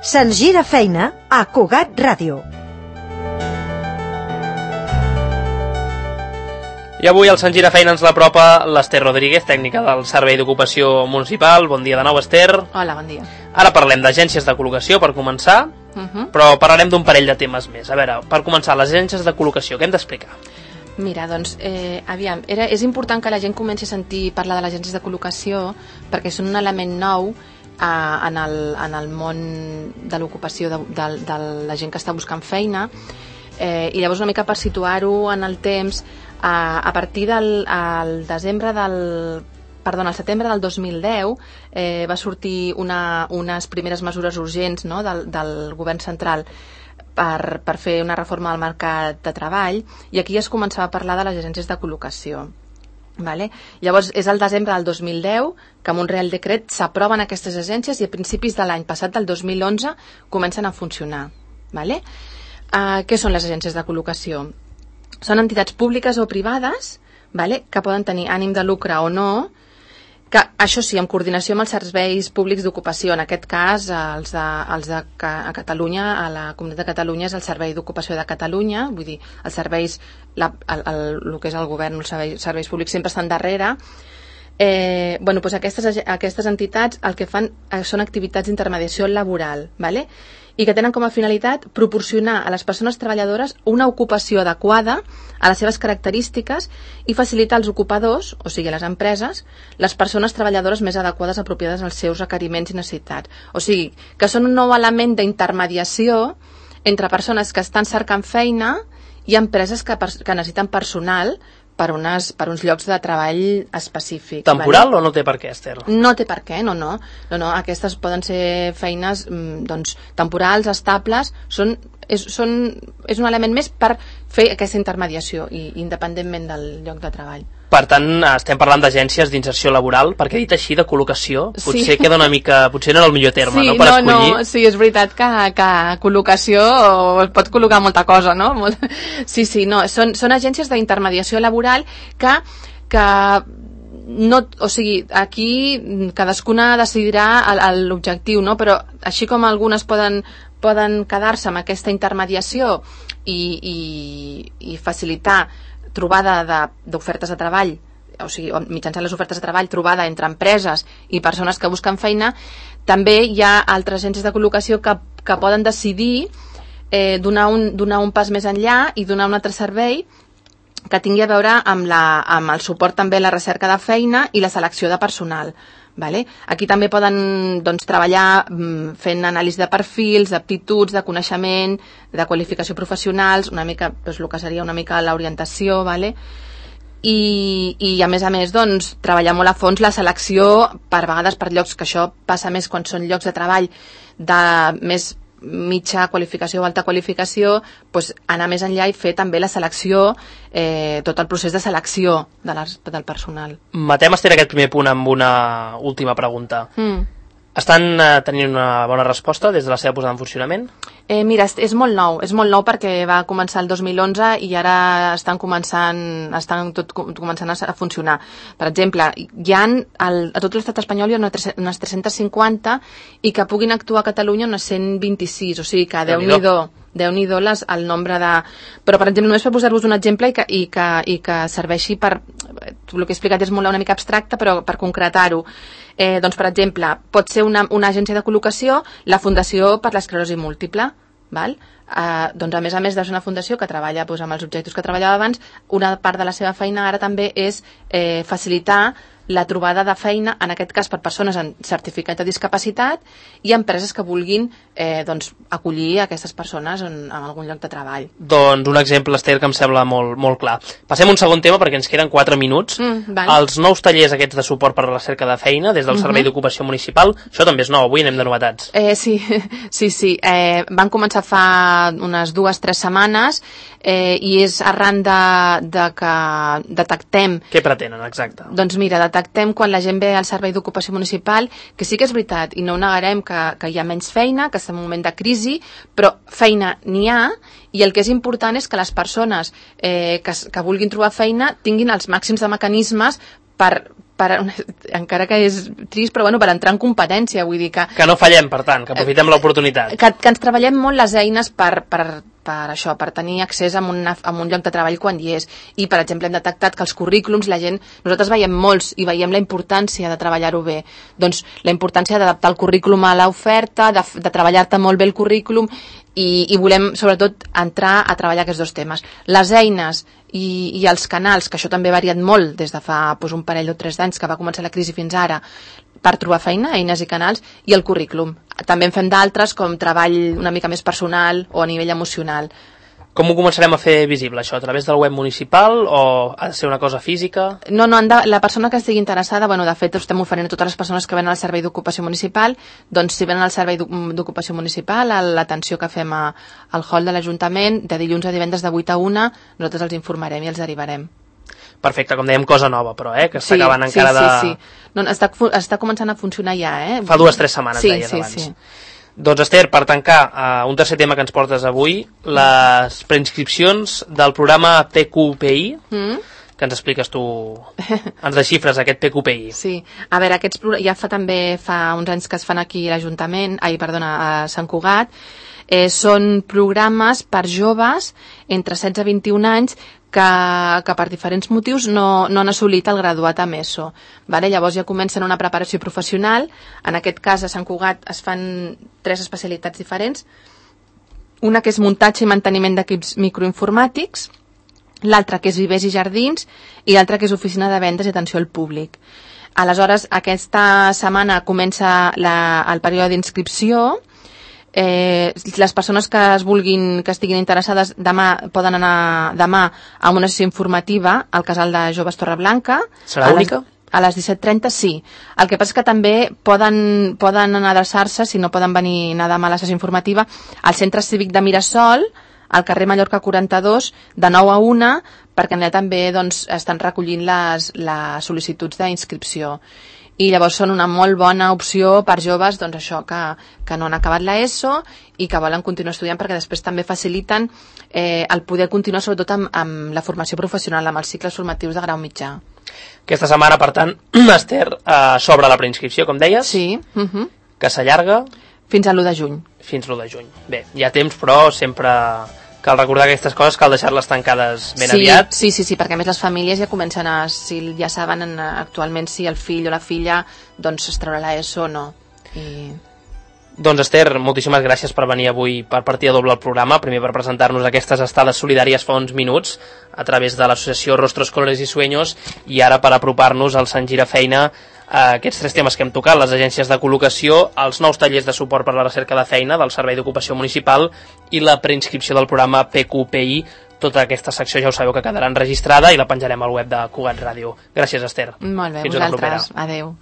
Se'ns gira feina a Cugat Ràdio. I avui al Sant Gira Feina ens l'apropa l'Ester Rodríguez, tècnica del Servei d'Ocupació Municipal. Bon dia de nou, Ester. Hola, bon dia. Ara parlem d'agències de col·locació, per començar, però parlarem d'un parell de temes més. A veure, per començar, les agències de col·locació, què hem d'explicar? Mira, doncs, és important que la gent comenci a sentir parlar de les agències de col·locació perquè són un element nou en el món de l'ocupació de la gent que està buscant feina, i llavors una mica per situar-ho en el temps, a partir del setembre del 2010 va sortir unes primeres mesures urgents, no, del govern central per fer una reforma del mercat de treball, i aquí ja es començava a parlar de les agències de col·locació. Vale? Llavors és el desembre del 2010 que amb un Real Decret s'aproven aquestes agències i a principis de l'any passat, del 2011, comencen a funcionar. Vale? Què són les agències de col·locació? Són entitats públiques o privades, vale, que poden tenir ànim de lucre o no, que això sí, en coordinació amb els serveis públics d'ocupació, en aquest cas a Catalunya, a la Comunitat de Catalunya és el Servei d'Ocupació de Catalunya, vull dir, els serveis, el que és el govern, els serveis públics sempre estan darrere. Doncs aquestes entitats el que fan són activitats d'intermediació laboral, vale? I que tenen com a finalitat proporcionar a les persones treballadores una ocupació adequada a les seves característiques i facilitar als ocupadors, o sigui a les empreses, les persones treballadores més adequades apropiades als seus requeriments i necessitats. O sigui, que són un nou element d'intermediació entre persones que estan cercant feina i empreses que necessiten personal per uns llocs de treball específics. Temporal, vale? O no té per què, Ester? No té per què, no. Aquestes poden ser feines temporals, estables, és un element més per fer aquesta intermediació independentment del lloc de treball. Per tant, estem parlant d'agències d'inserció laboral, perquè dit així, de col·locació, potser queda una mica... Potser no era el millor terme, no?, per escollir. Sí, és veritat que col·locació es pot col·locar molta cosa, no? Sí, són agències d'intermediació laboral que no, o sigui, aquí cadascuna decidirà l'objectiu, no? Però així com algunes poden quedar-se amb aquesta intermediació i facilitar trobada d'ofertes de treball, o sigui, mitjançant les ofertes de treball, trobada entre empreses i persones que busquen feina, també hi ha altres agències de col·locació que poden decidir donar un pas més enllà i donar un altre servei que tingui a veure amb el suport també a la recerca de feina i la selecció de personal. Vale? Aquí també poden treballar fent anàlisi de perfils, d'aptituds, de coneixement, de qualificació professionals, una mica, el que seria una mica l'orientació, vale? I a més treballar molt a fons la selecció, per vegades per llocs, que això passa més quan són llocs de treball de més mitja qualificació o alta qualificació, anar més enllà i fer també la selecció, tot el procés de selecció del personal. Matem, Esther, aquest primer punt amb una última pregunta. Estan tenint una bona resposta des de la seva posada en funcionament? Mira, és molt nou perquè va començar el 2011 i ara estan començant a funcionar. Per exemple, hi ha a tot l'estat espanyol hi ha unes 350 i que puguin actuar a Catalunya unes 126, o sigui que Déu-n'hi-do el nombre de... Però, per exemple, només per posar-vos un exemple i que serveixi per... El que he explicat és una mica abstracte, però per concretar-ho. Doncs, per exemple, pot ser una agència de col·locació, la Fundació per l'Esclerosi Múltiple, val? Doncs, a més de ser una fundació que treballa amb els objectius que treballava abans, una part de la seva feina ara també és facilitar la trobada de feina, en aquest cas per persones amb certificat de discapacitat i empreses que vulguin acollir aquestes persones en algun lloc de treball. Doncs un exemple, Esther, que em sembla molt clar. Passem a un segon tema perquè ens queden 4 minuts. Els nous tallers aquests de suport per a la cerca de feina des del Servei d'Ocupació Municipal, això també és nou, avui anem de novetats. Sí. Van començar fa unes 2-3 setmanes i és arran de que detectem... Què pretenen, exacte? Doncs mira, detectem quan la gent ve al Servei d'Ocupació Municipal que sí que és veritat i no ho negarem que hi ha menys feina, que està en un moment de crisi, però feina n'hi ha, i el que és important és que les persones que vulguin trobar feina tinguin els màxims de mecanismes per encara que és trist, però bueno, per entrar en competència, vull dir que no fallem, per tant, que aprofitem l'oportunitat. Que ens treballem molt les eines per això, per tenir accés a un lloc de treball quan hi és. I, per exemple, hem detectat que els currículums, nosaltres veiem molts i veiem la importància de treballar-ho bé. Doncs la importància d'adaptar el currículum a l'oferta, de treballar-te molt bé el currículum, i volem, sobretot, entrar a treballar aquests dos temes. Les eines i els canals, que això també ha variat molt des de fa un parell o 3 d'anys que va començar la crisi fins ara, per trobar feina, eines i canals, i el currículum. També en fem d'altres, com treball una mica més personal o a nivell emocional. Com ho començarem a fer visible, això? A través del web municipal o ha de ser una cosa física? No, la persona que estigui interessada, de fet, estem oferint a totes les persones que venen al Servei d'Ocupació Municipal, doncs si venen al Servei d'Ocupació Municipal, a l'atenció que fem al hall de l'Ajuntament, de dilluns a divendres de 8 a 1, nosaltres els informarem i els derivarem. Perfecte, com dèiem, cosa nova, però, que està acabant encara de... Sí. No, està començant a funcionar ja, Fa 2 o 3 setmanes, deies abans. Sí. Doncs, Esther, per tancar un tercer tema que ens portes avui, les preinscripcions del programa PQPI, que ens expliques tu, ens desxifres aquest PQPI. Sí, a veure, ja fa uns anys que es fan aquí a l'Ajuntament, a Sant Cugat, són programes per joves entre 16 i 21 anys que per diferents motius no han assolit el graduat amb ESO. Llavors ja comencen una preparació professional. En aquest cas, a Sant Cugat es fan 3 especialitats diferents. Una que és muntatge i manteniment d'equips microinformàtics, l'altra que és vivers i jardins, i l'altra que és oficina de vendes i atenció al públic. Aleshores, aquesta setmana comença el període d'inscripció. Les persones que estiguin interessades poden anar demà a una sessió informativa al Casal de Joves Torreblanca. Serà única? A les 17:30, sí. El que passa és que també poden anar a adreçar-se, si no poden anar demà a la sessió informativa, al Centre Cívic de Mirasol, al carrer Mallorca 42, de 9 a 1, perquè allà també estan recollint les sol·licituds d'inscripció. I llavors són una molt bona opció per joves que no han acabat l'ESO i que volen continuar estudiant, perquè després també faciliten el poder continuar sobretot amb la formació professional, amb els cicles formatius de grau mitjà. Aquesta setmana, per tant, Esther, s'obre la preinscripció, com deies? Sí. Que s'allarga? Fins a l'1 de juny. Fins l'1 de juny. Bé, hi ha temps, però sempre cal recordar aquestes coses, cal deixar-les tancades ben aviat. Sí, perquè a més les famílies ja comencen si ja saben actualment si el fill o la filla es traurà l'ESO o no. Doncs, Esther, moltíssimes gràcies per venir avui per Partida Doble al programa, primer per presentar-nos aquestes estades solidàries fa uns minuts a través de l'associació Rostros, Colores y Sueños, i ara per apropar-nos al Sant Girafeina aquests 3 temes que hem tocat, les agències de col·locació, els nous tallers de suport per a la recerca de feina del Servei d'Ocupació Municipal i la preinscripció del programa PQPI. Tota aquesta secció ja ho sabeu que quedarà enregistrada i la penjarem al web de Cugat Ràdio. Gràcies, Esther. Molt bé, fins vosaltres. Adéu.